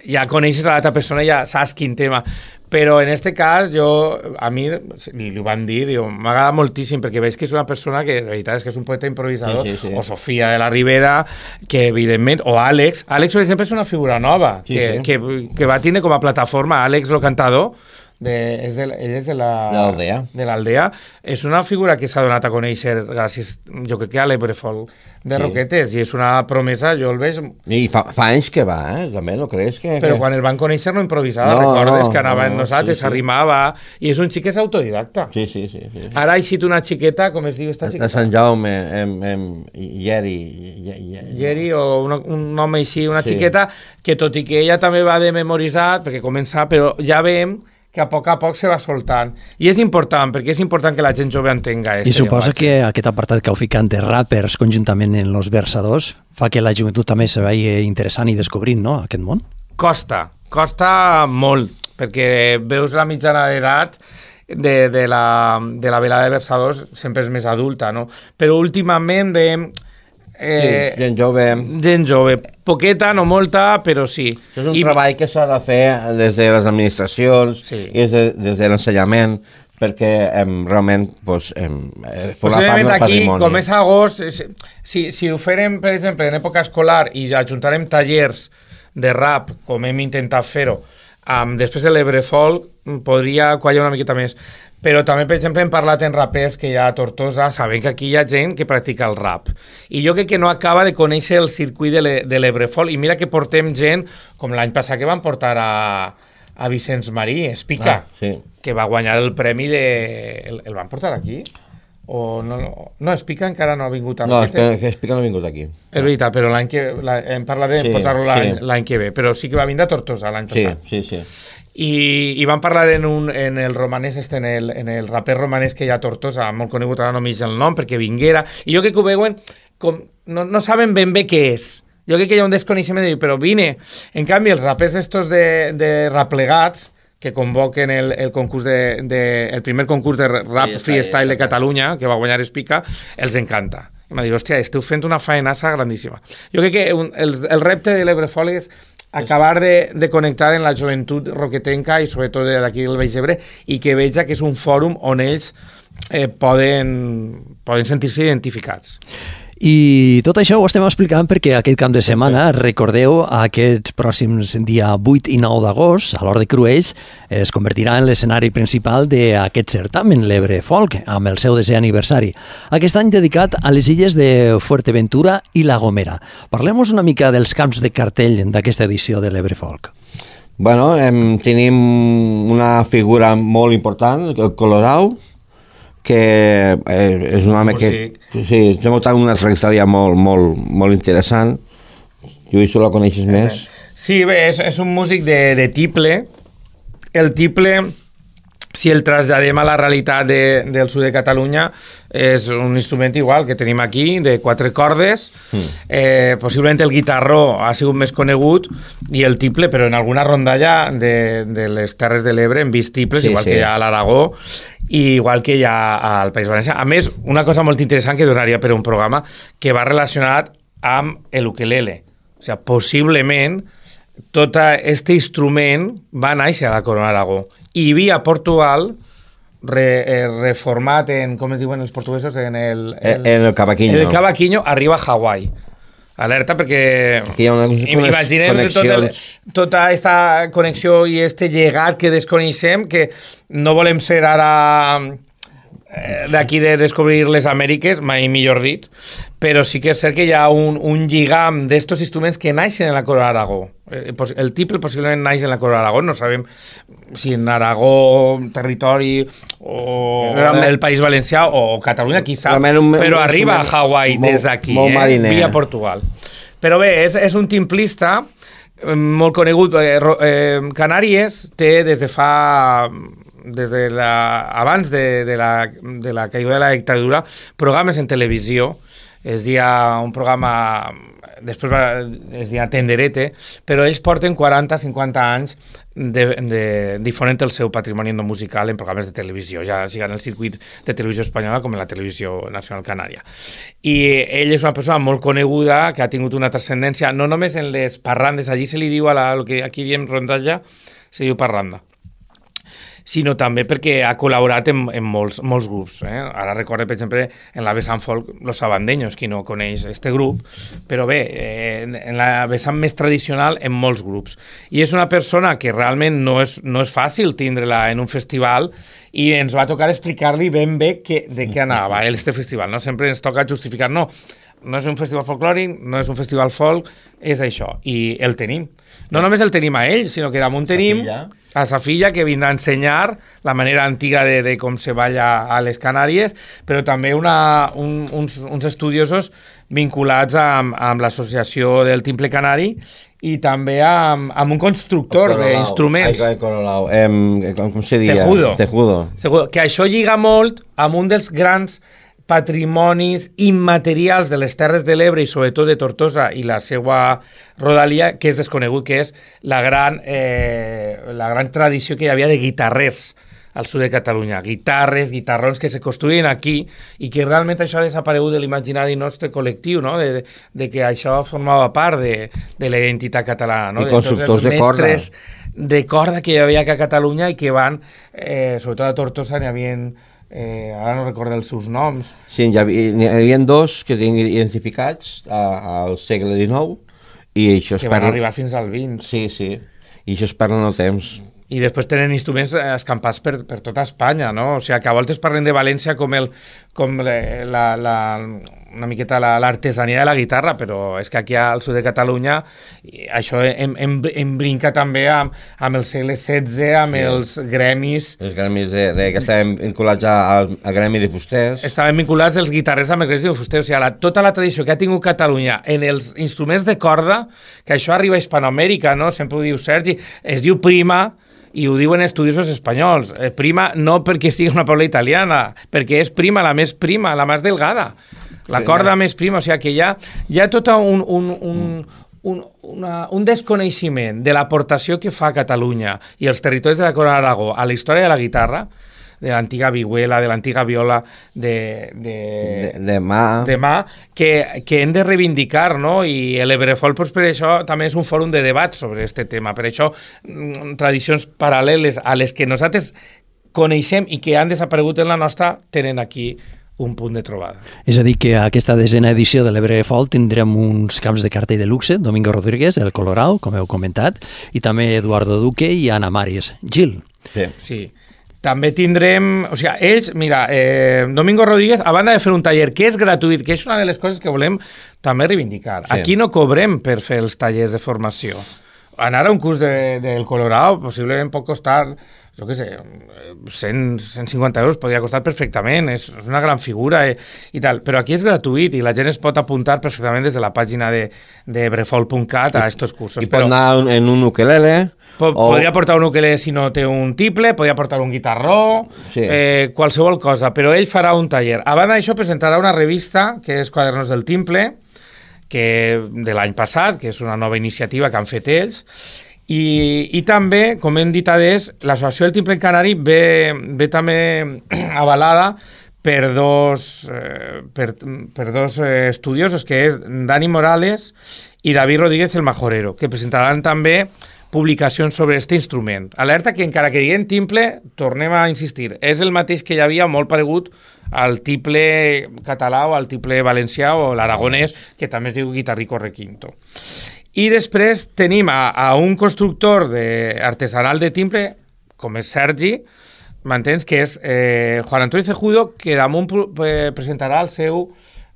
ja coneixes a l'altra persona i ja saps quin tema. Però en este cas, jo, a mi, li, li ho van dir, diu, m'agrada moltíssim, perquè veig que és una persona que, la veritat, és que és un poeta improvisador,
Sí, sí, sí.
o Sofia de la Ribera, que evidentment, o Àlex, Àlex, per exemple, és una figura nova,
Sí,
que,
sí.
que, que va tindre com a plataforma Àlex, el cantador, de, és de, ell és de la-
De l'Aldea.
de l'Aldea. És una figura que s'ha donat a conèixer gràcies, jo crec que a l'Ebrefol de
Sí.
Roquetes, i és una promesa, jo el veig...
I fa, fa anys que va, eh? També, no creus que...
Però
que...
quan el van conèixer no improvisava,
No,
recordes
no,
que anava
no,
en nosaltres,
sí, sí.
s'arrimava, i és un xic que és autodidacta.
Sí, sí, sí. sí.
Ara ha eixit una xiqueta, com es diu esta
De
xiqueta?
Sant Jaume, em, em, Yeri... Ye- ye-
Geri, o una, un nom així, una
Sí.
xiqueta, que tot i que ella també va de memoritzar, perquè comença, però ja veiem que a poc a poc se va soltant. I és important, perquè és important que la gent jove entenga
I
este
suposa
llenguatge.
que aquest apartat que heu ficat de rappers conjuntament en Los Versadors fa que la joventut també se vagi interessant i descobrint, no?, aquest món.
Costa, costa molt, perquè veus la mitjana d'edat de, de, la, de la velada de versadors sempre és més adulta, no? Però últimament veiem eh,
Sí, gent jove...
gent jove, poqueta, no molta, però sí.
Això és un
I-
treball que s'ha de fer des de les administracions
Sí.
i des de, des de l'ensenyament perquè em, realment pues, em, eh, forma part
Possiblement
del
aquí,
patrimoni.
com és agost, si, si, si ho farem, per exemple, en època escolar i ajuntarem tallers de rap, com hem intentat fer-ho, um, després de l'Ebrefol, podria quallar una miqueta més. Però també, per exemple, hem parlat en rapers que hi ha a Tortosa, sabem que aquí hi ha gent que practica el rap. I jo crec que no acaba de conèixer el circuit de l'E- de l'Ebrefol, i mira que portem gent, com l'any passat que van portar a, a Vicenç Marí, Espica,
Ah, sí.
que va guanyar el premi de... El, el van portar aquí? O no, no, no, Espica encara no ha vingut a
No, és
Roquetes.
que, que Espica no ha vingut aquí.
És veritat, però l'any que... La, hem parlat de
Sí,
portar-lo l'any
sí.
l'any que ve, però sí que va vindre a Tortosa l'any
Sí,
passat.
sí, sí.
I, i van parlar en, un, en el romanès, este, en, el, en el raper romanès que hi ha a Tortosa, molt conegut, ara no m'eix el nom, perquè vinguera, i jo crec que ho veuen com... No, no saben ben bé què és. Jo crec que hi ha un desconeixement de dir, però vine. En canvi, els rapers estos de, de raplegats, que convoquen el, el concurs de, de, el primer concurs de rap
Freestyle,
freestyle de Catalunya, que va guanyar Espica, els encanta. I m'ha dit, hòstia, esteu fent una faenassa grandíssima. Jo crec que un, el, el repte de l'Ebrefol és acabar de, de connectar en la joventut roquetenca i sobretot d'aquí del Baix Ebre i que veja que és un fòrum on ells eh, poden, poden sentir-se identificats.
I tot això ho estem explicant perquè aquest cap de setmana, recordeu, aquests pròxims dia vuit i nou d'agost, a l'Hort de Cruells, es convertirà en l'escenari principal d'aquest certamen, l'Ebre Folk, amb el seu desè aniversari. Aquest any dedicat a les illes de Fuerteventura i La Gomera. Parlem-nos una mica dels camps de cartell d'aquesta edició de l'Ebre Folk.
Bueno, em, tenim una figura molt important, el Colorau, que eh, és un home
Músic.
que... Sí, té molta una trajectòria molt, molt, molt interessant. Lluís, tu la coneixes més?
Sí, bé, és, és un músic de, de tiple. El tiple, si el traslladem a la realitat de, del sud de Catalunya, és un instrument igual que tenim aquí, de quatre cordes. Mm. Eh, possiblement el guitarró ha sigut més conegut i el tiple, però en alguna rondalla de, de les Terres de l'Ebre hem vist tiples,
Sí,
igual
sí.
que hi ha a l'Aragó i igual que hi ha al País Valencià. A més, una cosa molt interessant que donaria per un programa que va relacionat amb l'ukelele. O sigui, possiblement tot aquest instrument va néixer a la Corona d'Aragó. I hi havia a Portugal re, eh, reformat en, com es diuen els portuguesos, en el...
El, en el cavaquinho.
En el cavaquinho arriba a Hawaii. Alerta perquè...
Aquí hi ha unes
imaginem tot el,
connexions.
tota aquesta connexió i este llegat que desconeixem, que no volem ser ara d'aquí de descobrir les Amèriques, mai millor dit, però sí que és cert que hi ha un, un lligam d'estos instruments que naixen en la Corona d'Aragó. El tiple possiblement naix en la Corona d'Aragó, no sabem si en Aragó, territori, o el País Valencià, o Catalunya, qui sap, però arriba a Hawaii des d'aquí, eh? Via Portugal. Però bé, és, és un timplista molt conegut. Eh, eh, Canàries té des de fa... des de la, abans de, de, la, de la caiguda de la dictadura, programes en televisió. Es dia un programa, després va, es dia Tenderete, però ells porten quaranta a cinquanta anys de, de, difonent el seu patrimoni no musical en programes de televisió, ja sigui en el circuit de televisió espanyola com en la televisió nacional canària. I ell és una persona molt coneguda, que ha tingut una transcendència, no només en les parrandes, allí se li diu a la, el que aquí diem rondalla, se diu parranda, sinó també perquè ha col·laborat en, en molts, molts grups. Eh? Ara recorde, per exemple, en la vessant folk, Los Sabandeños, qui no coneix este grup, però bé, eh, en la vessant més tradicional, en molts grups. I és una persona que realment no és, no és fàcil tindre-la en un festival, i ens va tocar explicar-li ben bé que, de què anava este festival. No? Sempre ens toca justificar, no, no és un festival folclòric, no és un festival folk, és això, i el tenim. No només el tenim a ell, sinó que damunt tenim a sa filla, que vindrà a ensenyar la manera antiga de, de com se balla a les Canàries, però també una, un, uns, uns estudiosos vinculats amb, amb l'associació del Timple Canari i també amb, amb un constructor d'instruments.
Ai, Cololau. Eh, com, com se diria?
Cejudo.
Cejudo.
Cejudo. Que això lliga molt amb un dels grans patrimonis immaterials de les Terres de l'Ebre i sobretot de Tortosa i la seva rodalia, que és desconegut, que és la gran, eh, la gran tradició que hi havia de guitarrers al sud de Catalunya. Guitarres, guitarrons que se construïen aquí i que realment això ha desaparegut de l'imaginari nostre col·lectiu, no? de, de que això formava part de, de la identitat catalana. No?
I constructors de, de corda.
De corda que hi havia a Catalunya i que van, eh, sobretot a Tortosa, n'hi havia... Eh, ara no recordo els seus noms.
Sí, hi havia, hi havia dos que tenien identificats a, al segle dinou i això es
que van arribar fins al vint.
Sí, sí, i això es parla en el temps.
I després tenen instruments escampats per, per tota Espanya, no? O sigui, que a voltes parlen de València com, el, com la, la, una miqueta l'artesania la, de la guitarra, però és que aquí al sud de Catalunya això em, em, em brinca també amb, amb el segle setze, amb sí. els gremis.
Els gremis de, de, que estaven vinculats al gremi de fusters.
Estaven vinculats els guitarrers amb els gremis de fusters. O sigui, la, tota la tradició que ha tingut Catalunya en els instruments de corda, que això arriba a Hispanoamèrica, no? Sempre ho diu Sergi, es diu prima, i ho diuen estudiosos espanyols. Eh, prima no perquè sigui una paraula italiana, perquè és prima, la més prima, la més delgada. La corda més prima, o sigui que hi ha, hi ha tot un, un, un, un, una, un desconeixement de l'aportació que fa Catalunya i els territoris de la Corona d'Aragó a la història de la guitarra, de l'antiga vihuela, de l'antiga viola de, de,
de, de mà,
de mà que, que hem de reivindicar, no? I l'Ebrefol, pues, per això, també és un fòrum de debat sobre aquest tema. Per això, tradicions paral·leles a les que nosaltres coneixem i que han desaparegut en la nostra, tenen aquí un punt de trobada.
És a dir, que a aquesta desena edició de l'Ebrefol tindrem uns camps de cartell de luxe, Domingo Rodríguez, el Colorau, com heu comentat, i també Eduardo Duque i Ana Maris. Gil.
Sí. Sí. També tindrem... O sigui, ells, mira, eh, Domingo Rodríguez, a banda de fer un taller que és gratuït, que és una de les coses que volem també reivindicar. Sí. Aquí no cobrem per fer els tallers de formació. Anar a un curs de, del Colorau possiblement pot costar, jo què sé, cent, cent cinquanta euros podria costar perfectament, és, és una gran figura i, i tal, però aquí és gratuït i la gent es pot apuntar perfectament des de la pàgina de, de brefol punt cat a estos cursos.
I pot però... anar en un ukelele...
O... Podria portar un ukelele si no té un tiple, podria portar un guitarró, sí. eh, qualsevol cosa, però ell farà un taller. A banda d'això, presentarà una revista, que és Quadernos del Timple, que de l'any passat, que és una nova iniciativa que han fet ells, i, i també, com hem dit adés, l'Associació del Timple Canari ve, ve també avalada per dos, eh, per, per dos eh, estudiosos, que és Dani Morales i David Rodríguez el Majorero, que presentaran també publicacions sobre aquest instrument. Alerta que encara que diguem timple, tornem a insistir, és el mateix que hi havia molt paregut al tiple català o al tiple valencià o l'aragonès, que també es diu guitarrico requinto. I després tenim a, a un constructor de, artesanal de timple, com és Sergi, m'entens? Que és eh, Juan Antonio Cejudo, que damunt presentarà el seu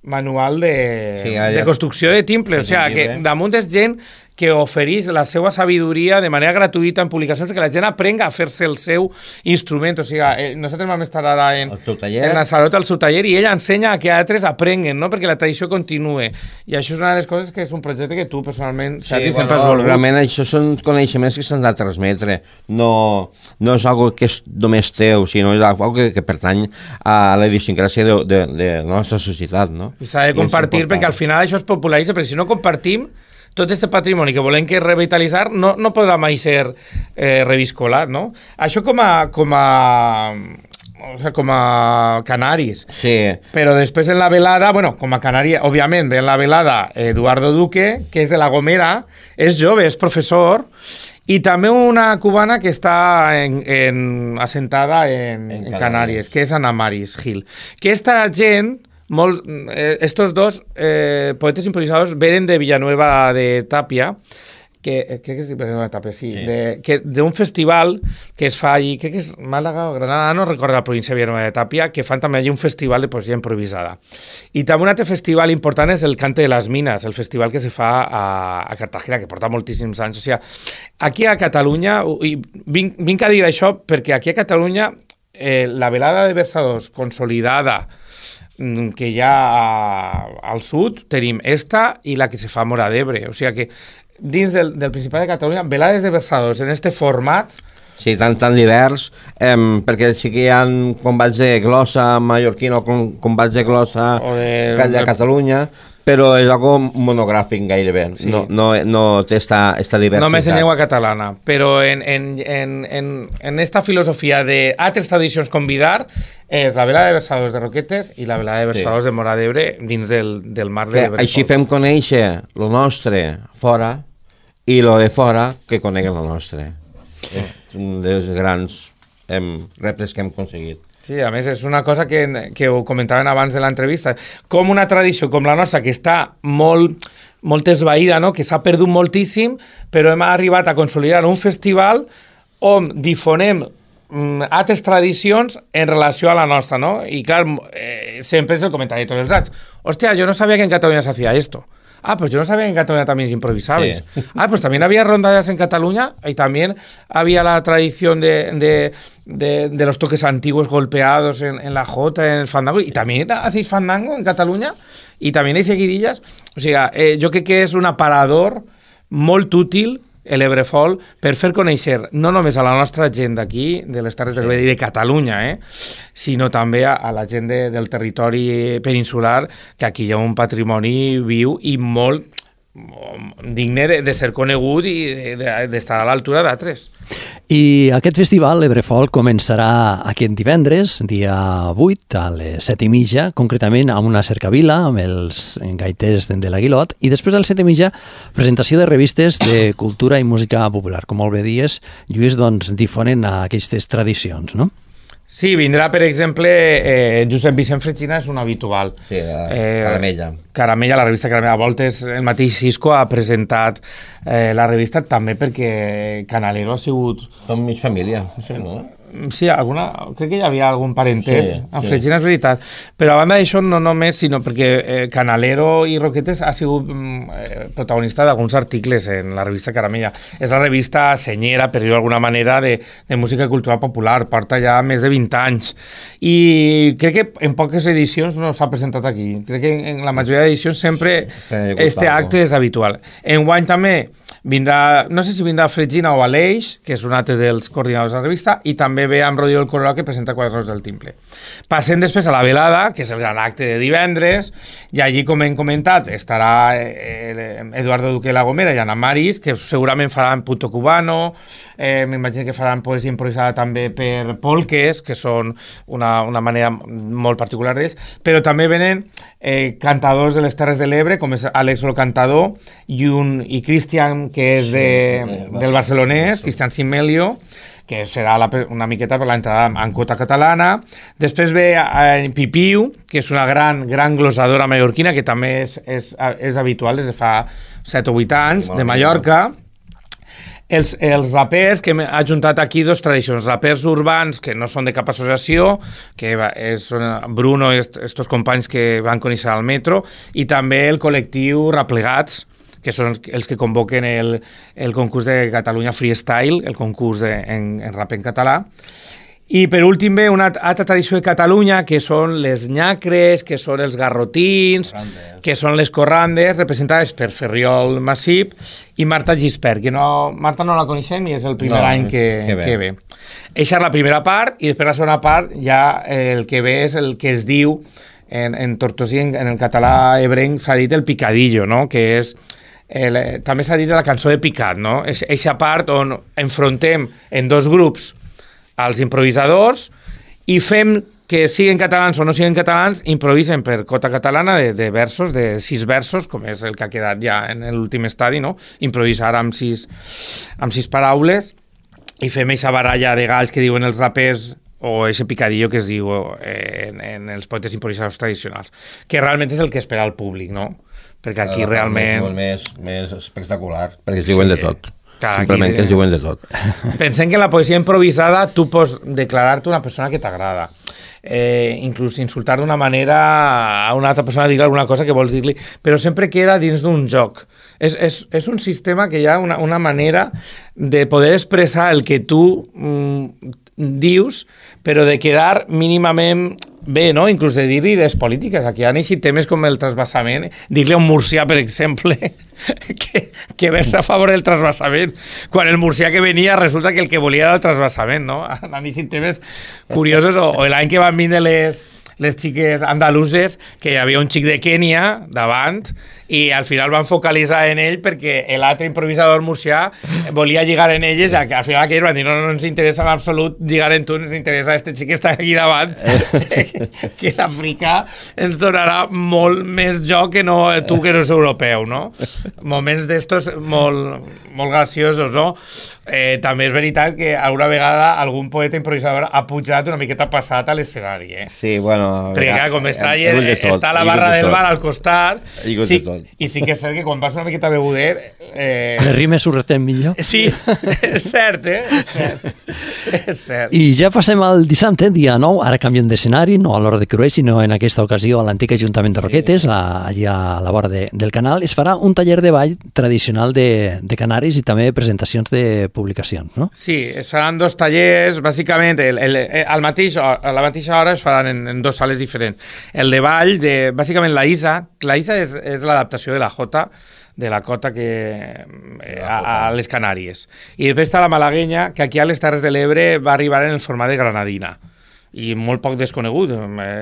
manual de, sí, de construcció de timple. O sigui, que damunt és gent que ofereix la seva sabidoria de manera gratuïta en publicacions perquè la gent aprenga a fer-se el seu instrument. O sigui, eh, nosaltres vam estar ara en, en la Salota, al seu taller, i ella ensenya a que altres aprenguen, no? Perquè la tradició continue. I això és una de les coses que és un projecte que tu personalment sí, bueno, sempre has volgut.
Realment això són coneixements que s'han de transmetre. No, no és algo que és només teu, sinó és algo que, que pertany a la idiosincràsia de, de, de la nostra societat, no?
I s'ha de compartir perquè al final això es popularitza, perquè si no compartim tot aquest patrimoni que volem que revitalitzar no, no podrà mai ser eh, reviscolat, no? Això com a, com a, o sea, com a canaris.
Sí.
Però després en la velada, bueno, com a canari, òbviament, ve en la velada Eduardo Duque, que és de La Gomera, és jove, és professor, i també una cubana que està en, en, assentada en, en, en Canàries, que és Ana Maris Gil. Que esta gent... Molt, eh, estos dos eh, poetes improvisadors venen de Villanueva de Tàpia, que eh, crec que és de Villanueva de Tàpia, sí, sí. d'un festival que es fa allí, crec que és Màlaga o Granada, no recordo la província de Villanueva de Tàpia, que fan també allí un festival de poesia improvisada. I també un altre festival important és el Cante de les Mines, el festival que se fa a, a Cartagena, que porta moltíssims anys. O sigui, aquí a Catalunya, i vinc, vinc a dir això perquè aquí a Catalunya eh, la velada de versadors consolidada que hi ha al sud, tenim esta i la que se fa a Móra d'Ebre. O sigui que dins del, del Principat de Catalunya, velades de versadors en este format...
Sí, tan, tan divers, eh, perquè sí que hi ha combats de glossa mallorquina o combats de glossa de, de Catalunya, però és algo monogràfic gairebé, sí. no, no, no té esta, esta diversitat.
Només en llengua catalana, però en, en, en, en, en esta filosofia d'altres tradicions convidar és la vela de versadors de Roquetes i la vela de versadors sí. de Móra d'Ebre dins del, del mar de Bressol.
Així fem conèixer lo nostre fora i lo de fora que coneguen lo nostre. És un dels grans em, reptes que hem aconseguit.
Sí, a més és una cosa que, que ho comentaven abans de l'entrevista, com una tradició com la nostra que està molt, molt esvaïda, no? Que s'ha perdut moltíssim, però hem arribat a consolidar un festival on difonem mm, altres tradicions en relació a la nostra, no? I clar, eh, sempre és el comentari de tots els anys. Hòstia, jo no sabia que en Catalunya s'hacía esto. Ah, pues yo no sabía que en Cataluña también improvisabais. Sí. Ah, pues también había rondallas en Cataluña y también había la tradición de, de, de, de los toques antiguos golpeados en, en la jota, en el fandango. Y también hacéis fandango en Cataluña y también hay seguidillas. O sea, eh, jo crec que és un aparador molt útil el Ebrefol per fer conèixer no només a la nostra gent d'aquí, de les Terres sí. del Ebre i de Catalunya, eh, sinó també a, a la gent de, del territori peninsular, que aquí hi ha un patrimoni viu i molt digne de, de ser conegut i d'estar de, de a l'altura d'altres.
I aquest festival, l'Ebrefol, començarà aquest divendres, dia vuit, a les set i mitja, concretament a una cercavila amb els gaiters de l'Aguilot, i després a les set i mitja, presentació de revistes de cultura i música popular. Com molt bé dies, Lluís, doncs, difonen aquestes tradicions, no?
Sí, vindrà, per exemple, eh, Josep Vicent Fregina és un habitual.
Sí, eh, Caramella.
Caramella, la revista Caramella. A voltes el mateix Cisco ha presentat eh, la revista també perquè Canalero ha sigut...
Som mig família, no?
Sí, alguna, crec que hi havia algun parentès
sí,
amb
sí.
Fregina, és veritat. Però a banda d'això, no només, sinó perquè eh, Canalero i Roquetes ha sigut eh, protagonista d'alguns articles en la revista Caramella. És la revista senyera, per dir-ho d'alguna manera, de, de música i cultura popular. Porta ja més de vint anys. I crec que en poques edicions no s'ha presentat aquí. Crec que en la majoria d'edicions sempre este acte és habitual. Enguany també vindrà, no sé si vindrà Fregina o Aleix, que és un altre dels coordinadors de la revista, i també ve amb Rodrigo el Colorado, que presenta Quadros del Timple. Passem després a la velada, que és el gran acte de divendres, i allí, com hem comentat, estarà Eduardo Duque de La Gomera i Ana Maris, que segurament faran Punto Cubano, eh, m'imagino que faran poesia improvisada també per polques, que són una, una manera molt particular d'ells, però també venen eh, cantadors de les Terres de l'Ebre, com és Àlex el Cantador, i, un, i Cristian, que és de, del barcelonès, Cristian Simelio, que serà la, una miqueta per l'entrada en cota catalana. Després ve eh, Pipiu, que és una gran, gran glosadora mallorquina, que també és, és, és habitual des de fa set o vuit anys, de Mallorca. Els, els rapers, que hem ajuntat aquí dos tradicions, rapers urbans que no són de cap associació, que és Bruno i estos companys que van conèixer al metro, i també el col·lectiu Raplegats, que són els que convoquen el, el concurs de Catalunya Freestyle, el concurs de, en, en rap en català. I per últim ve una altra tradició de Catalunya, que són les nyacres, que són els garrotins, corrandes. Que són les corrandes, representades per Ferriol Massip i Marta Gispert, que no, Marta no la coneixem i és el primer no, any que, que, ve. que ve. Eixa és la primera part, i després la segona part ja el que ve és el que es diu en, en tortosí, en, en el català ebrenc s'ha dit el picadillo, no? Que és el, també s'ha dit la cançó de picat, no? És eixa part on enfrontem en dos grups als improvisadors i fem que siguin catalans o no siguin catalans, improvisen per cota catalana de, de versos, de sis versos, com és el que ha quedat ja en l'últim estadi, no? Improvisar amb sis, amb sis paraules i fem aquesta baralla de galls que diuen els rapers o aquest picadillo que es diu en, en els poetes improvisadors tradicionals, que realment és el que espera el públic, no? Perquè aquí
Però,
realment...
És més, més espectacular, perquè es diuen sí. de tot.
Clar,
simplement
aquí,
que es diuen de tot.
Pensem que en la poesia improvisada tu pots declarar-te una persona que t'agrada, eh, inclús insultar d'una manera a una altra persona, dir-li alguna cosa que vols dir-li, però sempre queda dins d'un joc. És, és, és un sistema que hi ha una, una manera de poder expressar el que tu mm, dius, però de quedar mínimament bé, no? Inclús de dir-li des polítiques. Aquí han eixit temes com el trasbassament. Dir-li a un murcià, per exemple, que, que versa a favor del trasbassament, quan el murcià que venia resulta que el que volia era el trasbassament, no? Han eixit temes curiosos. O, o l'any que van vindre les, les xiques andaluses, que hi havia un xic de Kènia davant, i al final van focalitzar en ell perquè l'altre improvisador murcià volia lligar en elles, i al final aquells van dir no, no ens interessa en absolut lligar en tu, ens interessa este xic que està aquí davant, que l'Àfrica ens donarà molt més joc que no tu que no és europeu, no? Moments d'estos molt, molt graciosos, no? Eh, també és veritat que alguna vegada algun poeta improvisador ha pujat una miqueta passat a l'escenari, eh?
Sí, bueno...
Perquè clar, com està, allà, està la barra del bar al costat, sí, i sí que és cert que quan vas una miqueta beguder...
Eh... Les rimes ho retem millor.
Sí, és cert, eh? És cert. És cert.
I ja passem al dissabte, dia nou, ara canviem d'escenari, no a l'Hora de Crueix, sinó en aquesta ocasió a l'antic Ajuntament de Roquetes, sí. la, allà a la vora de, del canal, es farà un taller de ball tradicional de, de Canaris i també presentacions de publicacions, no?
Sí, es faran dos tallers, bàsicament, el, el, el mateix, a la mateixa hora es faran en, en dos sales diferents. El de ball, de, bàsicament la Isa, la Isa és, és l'adaptació de la Jota, de la cota que, eh, a, a les Canàries. I després està la malaguenya, que aquí a les Terres de l'Ebre va arribar en el format de granadina, i molt poc desconegut.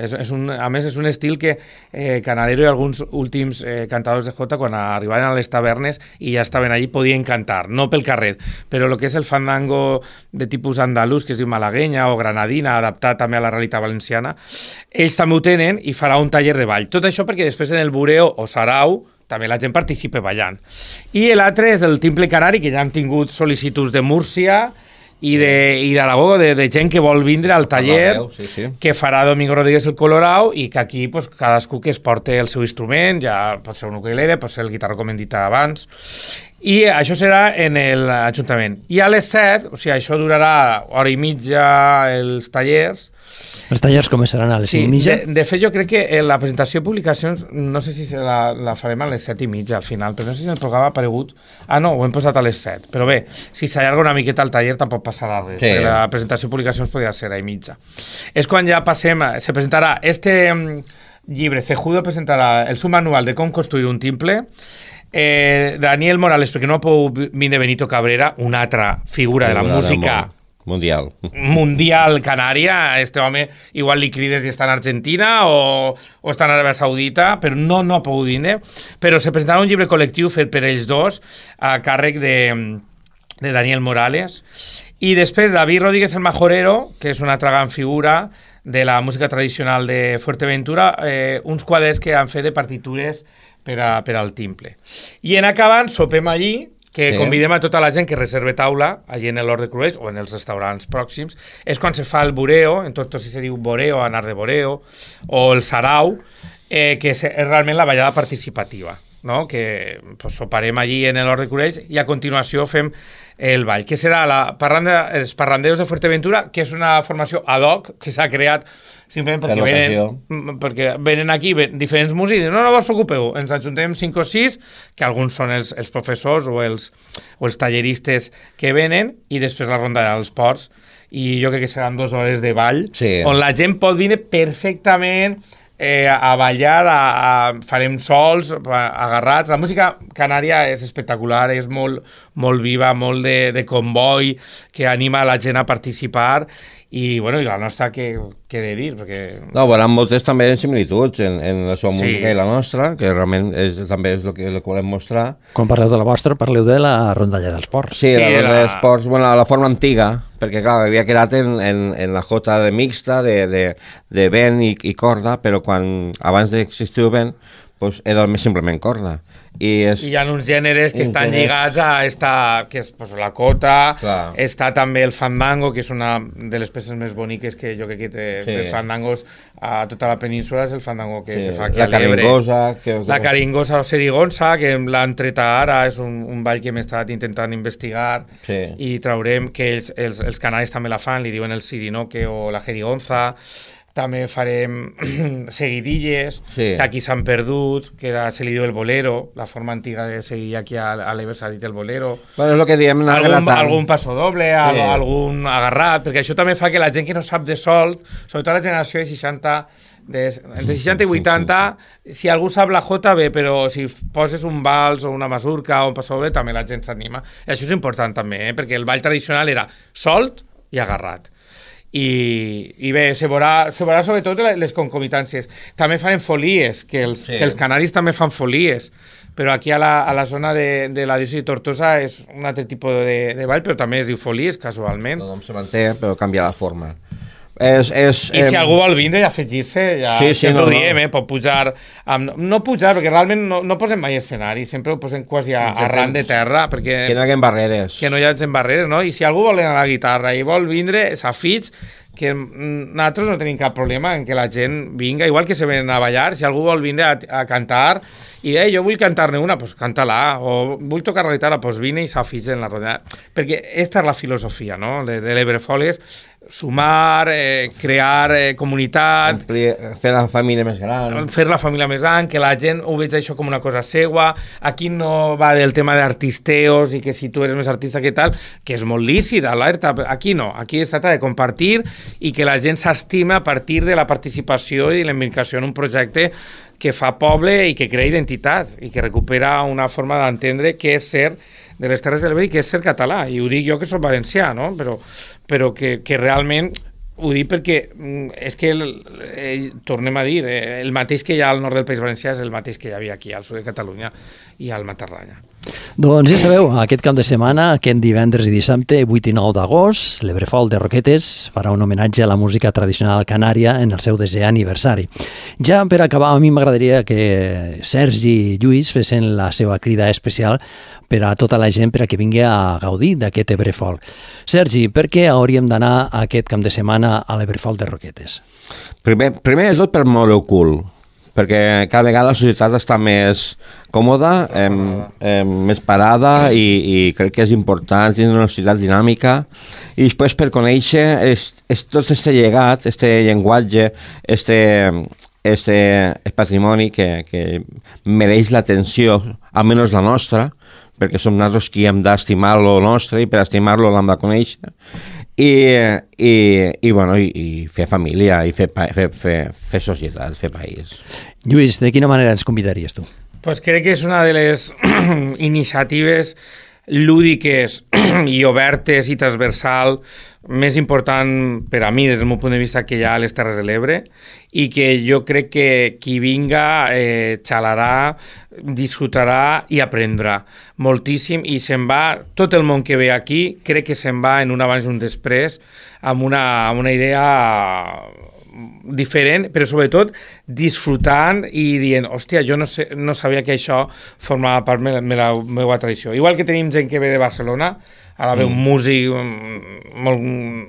És, és un, a més, és un estil que eh, Canalero i alguns últims eh, cantadors de Jota, quan arribaven a les tavernes i ja estaven allí, podien cantar, no pel carrer, però el que és el fandango de tipus andalús, que es diu malaguenya o granadina, adaptat també a la realitat valenciana, ells també ho tenen i farà un taller de ball. Tot això perquè després en el bureo o sarau també la gent participa ballant. I l'altre és el timple canari, que ja hem tingut sol·licituds de Múrcia i d'Aragó, de, de gent que vol vindre al taller, sí, sí. que farà Domingo Rodríguez el Colorau, i que aquí pues, cadascú que es porti el seu instrument, ja pot ser un ukulele, pot ser el guitarra, com hem dit abans, i això serà en l'Ajuntament. I a les set, o sigui, això durarà hora i mitja els tallers.
Els tallers començaran a les
sí,
cinc i mitja?
De, de fet, jo crec que la presentació de publicacions, no sé si la, la farem a les set i mitja al final, però no sé si el programa ha aparegut... Ah, no, ho hem posat a les set. Però bé, si s'allarga una miqueta el taller tampoc passarà res, sí. perquè la presentació de publicacions podria ser a i mitja. És quan ja passem... Se presentarà este llibre, Cejudo presentarà el seu manual de com construir un timple. Eh, Daniel Morales, perquè no ha pogut vindre Benito Cabrera, una altra figura de la música...
Mundial.
Mundial canària. Este home igual li crides i està en Argentina o, o està en Aràbia Saudita, però no, no ha pogut vindre. Però se presentarà un llibre col·lectiu fet per ells dos a càrrec de, de Daniel Morales. I després David Rodríguez el Majorero, que és una altra gran figura de la música tradicional de Fuerteventura, eh, uns quaders que han fet de partitures per, a, per al timple. I en acabant sopem allí, que sí. convidem a tota la gent que reserve taula allí en l'Hort de Crueix o en els restaurants pròxims. És quan se fa el bureo, en tot si se diu boreo, anar de boreo, o el sarau, eh, que és realment la ballada participativa. no? Que pues, soparem allí en l'Hort de Cubells i a continuació fem el ball, que serà la parranda, els parranderos de Fuerteventura, que és una formació ad hoc que s'ha creat simplement perquè venen, perquè venen aquí ven, diferents músics i diuen, no, no us preocupeu, ens ajuntem cinc o sis, que alguns són els, els professors o els, o els talleristes que venen, i després la ronda dels ports, i jo crec que seran dues hores de ball, sí. On la gent pot vindre perfectament eh, a ballar, a, a, farem sols, agarrats. La música canària és espectacular, és molt, molt viva, molt de, de comboi, que anima la gent a participar, i, bueno, i la nostra, què he de dir? Perquè...
No, veuran moltes també similituds en, en la seva música sí. I la nostra, que realment és, també és el que, el que volem mostrar.
Quan parleu de la vostra, parleu de la rondalla dels ports.
Sí,
sí
la rondalla
la...
dels ports, bueno, la forma antiga, perquè clar, havia quedat en, en, en la jota de mixta, de, de, de vent i, i corda, però quan abans d'existir el vent, pues, era més simplement corda. I, és...
I hi ha uns gèneres que estan lligats a esta, que és pues, la cota, clar. Està també el fandango, que és una de les peces més boniques que jo crec que té sí. De fandangos a tota la península, és el fandango que sí. Se fa aquí
la a l'Ebre.
Que... La caringosa o serigonsa, que l'han tret ara, és un, un ball que hem estat intentant investigar sí. I traurem que els, els, els canaris també la fan, li diuen el sirinoque o la jerigonza. També farem seguidilles, sí. Que aquí s'han perdut, que se li diu el bolero, la forma antiga de seguir aquí a, a l'Ebre s'ha dit el bolero.
Bueno, és el que diem,
algun, algun passo doble, sí. Algun agarrat, perquè això també fa que la gent que no sap de solt, sobretot la generació de seixanta, de, entre seixanta i vuitanta, si algú sap la jota bé, però si poses un vals o una masurca o un passo doble, també la gent s'anima. I això és important també, eh? Perquè el ball tradicional era solt i agarrat. I, i bé, se veurà, se veurà sobretot les concomitàncies. També farem folies, que els, sí. Que els canaris també fan folies, però aquí a la, a la zona de, de la diòcesi de Tortosa és un altre tipus de, de ball, però també es diu folies, casualment.
No, no se manté, però canvia la forma. És, és,
I si eh... algú vol vindre i afegir-se, ja sí, sí, no, ho diem, no. Eh? Pot pujar, amb, no pujar, perquè realment no, no posem mai escenari, sempre ho posem quasi a, a ran de terra, perquè...
Que no hi hagi barreres.
Que no hi hagi barreres, no? I si algú vol anar a la guitarra i vol vindre, s'afig, que nosaltres no tenim cap problema en que la gent vinga, igual que se venen a ballar, si algú vol vindre a, a cantar, i eh, jo vull cantar-ne una, doncs pues canta-la, o vull tocar la guitarra, doncs pues vine i s'afig en la rodada. Perquè aquesta és la filosofia, no?, de, de l'Ebrefoles, sumar, eh, crear eh, comunitat...
Fer la família més gran.
Fer la família més gran, que la gent ho veig això com una cosa seua. Aquí no va del tema d'artisteos i que si tu eres més artista que tal, que és molt lícit, alerta. Aquí no, aquí es tracta de compartir i que la gent s'estima a partir de la participació i de la implicació en un projecte que fa poble i que crea identitat i que recupera una forma d'entendre què és ser de les Terres de l'Ebre i què és ser català. I ho dic jo que soc valencià, no? Però, però que, que realment ho dic perquè és que, el, eh, tornem a dir, eh, el mateix que hi ha al nord del País Valencià és el mateix que hi havia aquí al sud de Catalunya i al Matarranya.
Doncs ja sabeu, aquest cap de setmana, aquest divendres i dissabte, vuit i nou d'agost, l'Ebrefol de Roquetes farà un homenatge a la música tradicional canària en el seu desè aniversari. Ja per acabar, a mi m'agradaria que Sergi i Lluís fessin la seva crida especial per a tota la gent per a que vingui a gaudir d'aquest Ebrefol. Sergi, per què hauríem d'anar aquest cap de setmana a l'Ebrefol de Roquetes?
Primer, primer és tot per moure el cul, perquè cada vegada la societat està més còmoda, eh, eh, més parada i, i crec que és important tenir una societat dinàmica i després per conèixer és, és tot aquest llegat, aquest llenguatge, este, este patrimoni que, que mereix l'atenció, almenys la nostra, perquè som nosaltres qui hem d'estimar lo nostre i per estimar-lo l'hem de conèixer i, i, i, bueno, i, i fer família i fer, fer, fer, fer societat, fer país.
Lluís, de quina manera ens convidaries tu?
Pues crec que és una de les iniciatives lúdiques i obertes i transversal més important per a mi des del meu punt de vista que hi ha a les Terres de l'Ebre i que jo crec que qui vinga eh, xalarà, disfrutarà i aprendrà moltíssim i se'n va, tot el món que ve aquí crec que se'n va en un abans i un després amb una, amb una idea diferent, però sobretot disfrutant i dient, hòstia, jo no, sé, no sabia que això formava part de la meva tradició. Igual que tenim gent que ve de Barcelona, ara ve un músic molt...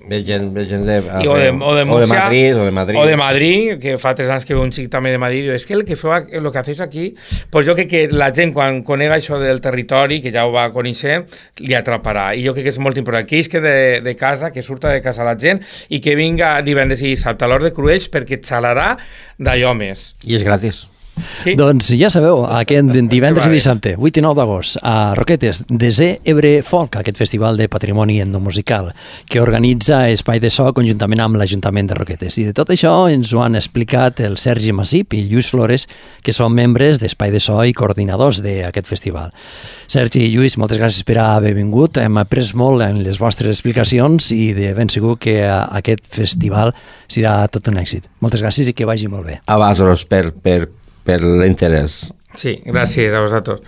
Ve gent, ve gent de,
I, o, de, o, de Múrcia,
o de Madrid, o de Madrid.
O de Madrid, que fa tres anys que ve un xic també de Madrid, diu, és que el que feu, el que hacéis aquí, pues jo crec que la gent quan conega això del territori, que ja ho va conèixer, li atraparà. I jo crec que és molt important. Que és que de, de casa, que surta de casa la gent i que vinga divendres i dissabte a l'Hort de Cruells perquè xalarà d'allò més.
I és gratis.
Sí. Doncs ja sabeu, aquest divendres i dissabte, vuit i nou d'agost, a Roquetes, desè Ebre Folk, aquest festival de patrimoni etnomusical que organitza Espai de So conjuntament amb l'Ajuntament de Roquetes. I de tot això ens ho han explicat el Sergi Massip i Lluís Flores, que són membres d'Espai de So i coordinadors d'aquest festival. Sergi i Lluís, moltes gràcies per haver vingut. Hem après molt en les vostres explicacions i de ben segur que aquest festival serà tot un èxit. Moltes gràcies i que vagi molt bé.
A vosaltres per, per per l'interès.
Sí, gràcies a vosaltres.